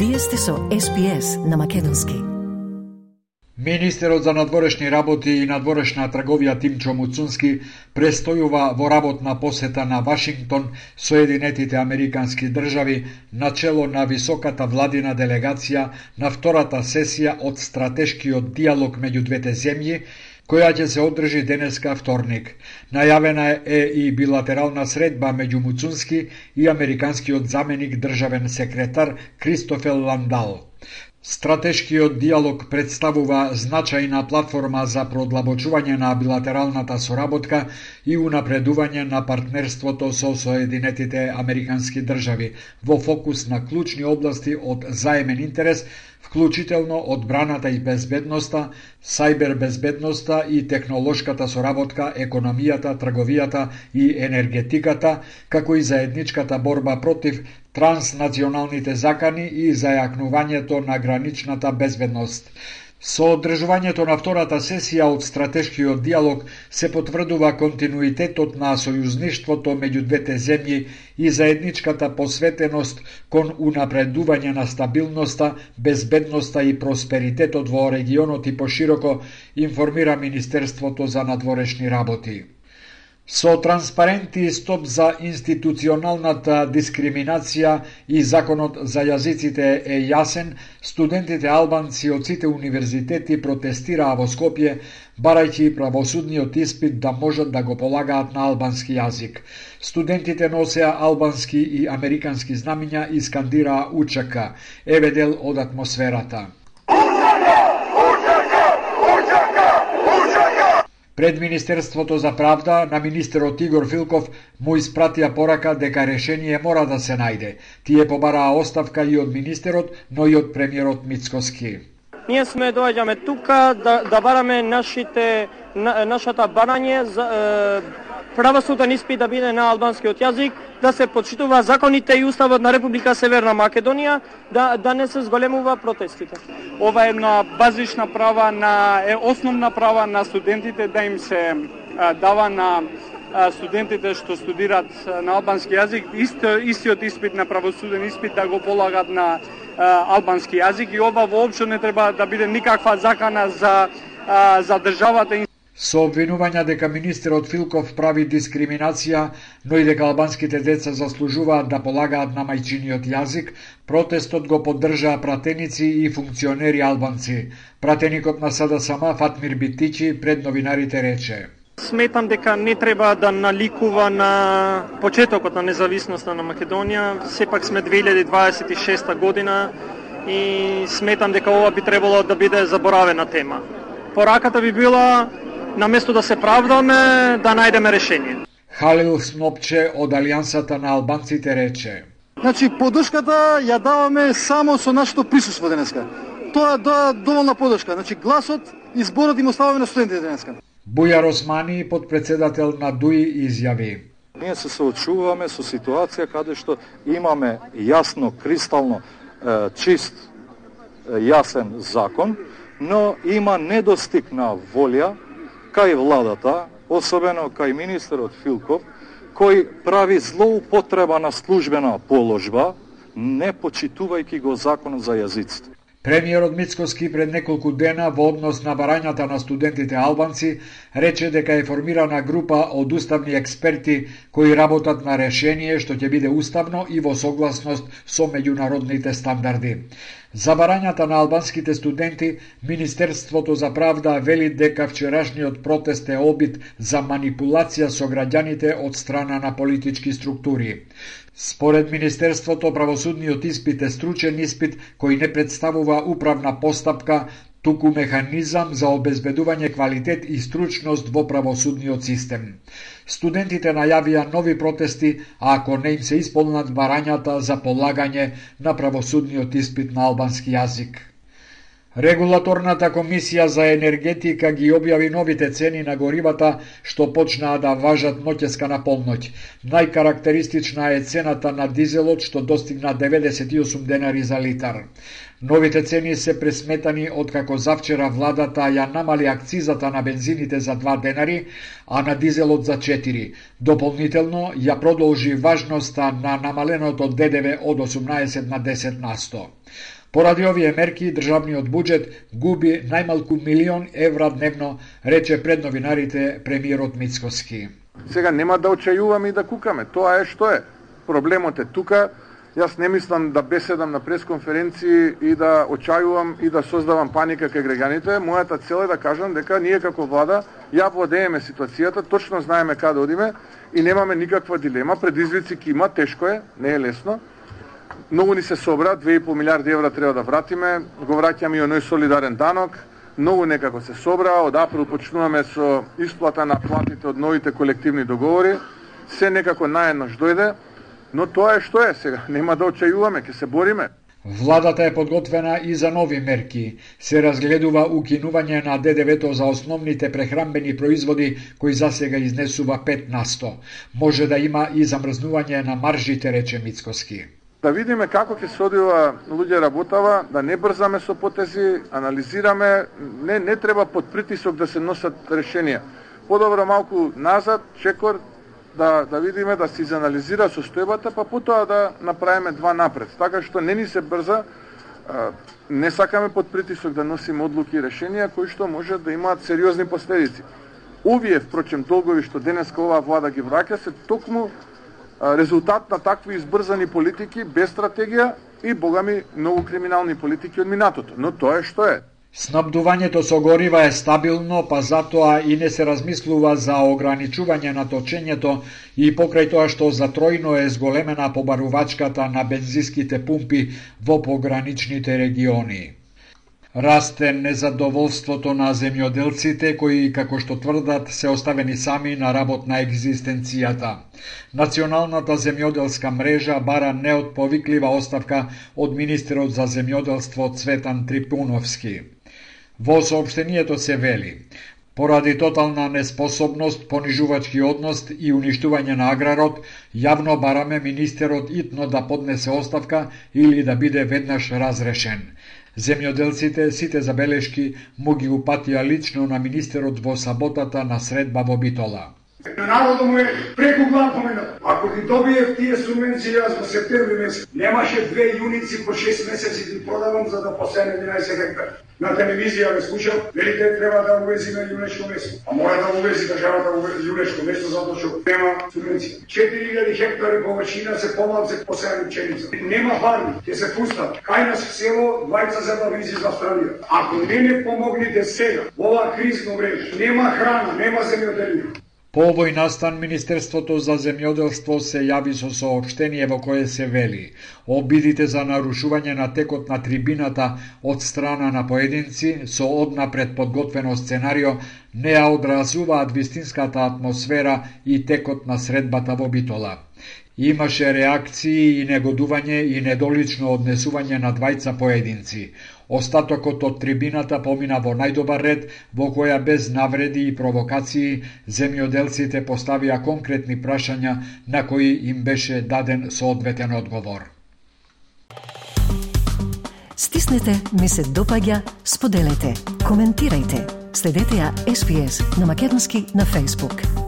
Вие сте со SPS на македонски. Министерот за надворешни работи и надворешна трговија Тимчо Муцунски престојува во работна посета на Вашингтон, Соединетите Американски држави, начело на високата владина делегација на втората сесија од стратешкиот диалог меѓу двете земји, која ќе се одржи денеска вторник. Најавена е и билатерална средба меѓу Муцунски и американскиот заменик државен секретар Кристофер Ландал. Стратешкиот диалог представува значајна платформа за продлабочување на билатералната соработка и унапредување на партнерството со Соединетите Американски држави во фокус на клучни области од заемен интерес, вклучително одбраната и безбедноста, сајбер безбедноста и технолошката соработка, економијата, трговијата и енергетиката, како и заедничката борба против транснационалните закани и зајакнувањето на граничната безбедност. Со одржувањето на втората сесија од стратешкиот диалог се потврдува континуитетот на сојузништвото меѓу двете земји и заедничката посветеност кон унапредување на стабилноста, безбедноста и просперитетот во регионот и пошироко, информира Министерството за надворешни работи. Со транспаренти стоп за институционалната дискриминација и законот за јазиците е јасен, студентите албанци од сите универзитети протестираа во Скопје, барајќи правосудниот испит да можат да го полагаат на албански јазик. Студентите носеа албански и американски знамиња и скандираа УЧК. Еве дел од атмосферата. Пред Министерството за правда на министерот Игор Филков му испратија порака дека решение мора да се најде. Тие побараа оставка и од министерот, но и од премиерот Мицкоски. Ние сме доаѓаме тука да бараме нашата барање за правосуден испит да биде на албанскиот јазик, да се почитува законите и уставот на Република Северна Македонија, да не се зголемува протестите. Ова е една базична права е основна права на студентите да им се дава на студентите што студираат на албански јазик, истиот испит на правосуден испит да го полагат на албански јазик и ова воопшто не треба да биде никаква закана за државата. Со обвинувања дека министерот Филков прави дискриминација, но и дека албанските деца заслужуваат да полагаат на мајчиниот јазик, протестот го поддржаа пратеници и функционери албанци. Пратеникот на СДСМ Фатмир Битичи пред новинарите рече: Сметам дека не треба да наликува на почетокот на независноста на Македонија. Сепак сме 2026 година и сметам дека ова би требало да биде заборавена тема. Пораката би била наместо да се правдаме, да најдеме решение. Халил Снопче од Алијансата на албанците рече: Значи, поддршката ја даваме само со нашето присуство денеска. Тоа е доволна поддршка. Значи, гласот и зборот им оставаме на студентите денеска. Бујар Османи, подпредседател на ДУИ, изјави: Ние се соочуваме со ситуација каде што имаме јасно, кристално, чист, јасен закон, но има недостиг на волја кај владата, особено кај министерот Филков, кој прави злоупотреба на службена положба, не почитувајќи го законот за јазиците. Премиерот Мицкоски пред неколку дена во однос на барањата на студентите албанци рече дека е формирана група од уставни експерти кои работат на решение што ќе биде уставно и во согласност со меѓународните стандарди. За барањата на албанските студенти, Министерството за правда вели дека вчерашниот протест е обид за манипулација со граѓаните од страна на политички структури. Според Министерството, правосудниот испит е стручен испит кој не представува управна постапка, туку механизам за обезбедување квалитет и стручност во правосудниот систем. Студентите најавија нови протести, а ако не им се исполнат барањата за полагање на правосудниот испит на албански јазик. Регулаторната комисија за енергетика ги објави новите цени на горивата што почнаа да важат ноќеска на полноќ. Најкарактеристична е цената на дизелот што достигна 98 денари за литар. Новите цени се пресметани откако завчера владата ја намали акцизата на бензините за 2 денари, а на дизелот за 4. Дополнително ја продолжи важноста на намаленото ДДВ од 18 на 10%. Поради овие мерки, државниот буџет губи најмалку €1.000.000 дневно, рече пред новинарите премиерот Мицкоски. Сега нема да очајуваме и да кукаме, тоа е што е. Проблемот е тука. Јас не мислам да беседам на пресконференции и да очајувам и да создавам паника кај граѓаните. Мојата цел е да кажам дека ние како влада ја владееме ситуацијата, точно знаеме каде одиме и немаме никаква дилема. Предизвици ќе има, тешко е, не е лесно. Многу ни се собра, 2,5 милиарди евра треба да вратиме, го враќаме и оној солидарен данок, многу некако се собра, од април почнуваме со исплата на платите од новите колективни договори, се некако наеднаш дојде, но тоа е што е сега, нема да очајуваме, ќе се бориме. Владата е подготвена и за нови мерки. Се разгледува укинување на ДДВ-то за основните прехранбени производи, кои засега изнесува 5%. Може да има и замрзнување на маржите, рече Мицкоски. Да видиме како ќе се одива луѓе работава, да не брзаме со потези, анализираме, не треба под притисок да се носат решенија. Подобро малку назад, чекор, да видиме, да се изанализира состојбата, па потоа да направиме 2 напред. Така што не ни се брза, не сакаме под притисок да носиме одлуки и решенија кои што може да имаат сериозни последици. Овие, впрочем, долгови што денеска оваа влада ги враќа, се токму резултат на такви избрзани политики без стратегија и богами многу криминални политики од минатото. Но тоа е што е. Снабдувањето со горива е стабилно, па затоа и не се размислува за ограничување на точењето и покрај тоа што затројно е зголемена побарувачката на бензинските пумпи во пограничните региони. Расте незадоволството на земјоделците кои, како што тврдат, се оставени сами на работ на екзистенцијата. Националната земјоделска мрежа бара неотповиклива оставка од министерот за земјоделство Цветан Трипуновски. Во соопштението се вели: поради тотална неспособност, понижувачки однос и уништување на аграрот, јавно бараме министерот итно да поднесе оставка или да биде веднаш разрешен. Земјоделците сите забелешки му ги упатија лично на министерот во саботата на средба во Битола. Народот му е преку глава поменат. Ако ги добиев тие субвенции јас во септември месец, немаше 2 јуници по 6 месеци ги продавам за да посеем 11 хектари. На телевизија ме слушам, велите треба да увезиме јунешко место. А мора да увези државата јунешко место затоа што нема субвенција. 4000 хектари површина се помалце посеани пченица. Нема фарми, ќе се пустат. Кај нас в село двајца забавници за Австралија. Ако не помогнете сега, ова кризно време, нема храна, нема земјоделие. По овој настан, Министерството за земјоделство се јави со соопштение во кое се вели: обидите за нарушување на текот на трибината од страна на поединци со однапред подготвено сценарио не ја одразуваат вистинската атмосфера и текот на средбата во Битола. Имаше реакции и негодување и недолично однесување на двајца поединци. Остатокот од трибината помина во најдобар ред, во која без навреди и провокации земјоделците поставија конкретни прашања на кои им беше даден соодветен одговор. Стиснете, ми се допаѓа, споделете, коментирајте. Следете ја SPS на Македонски на Facebook.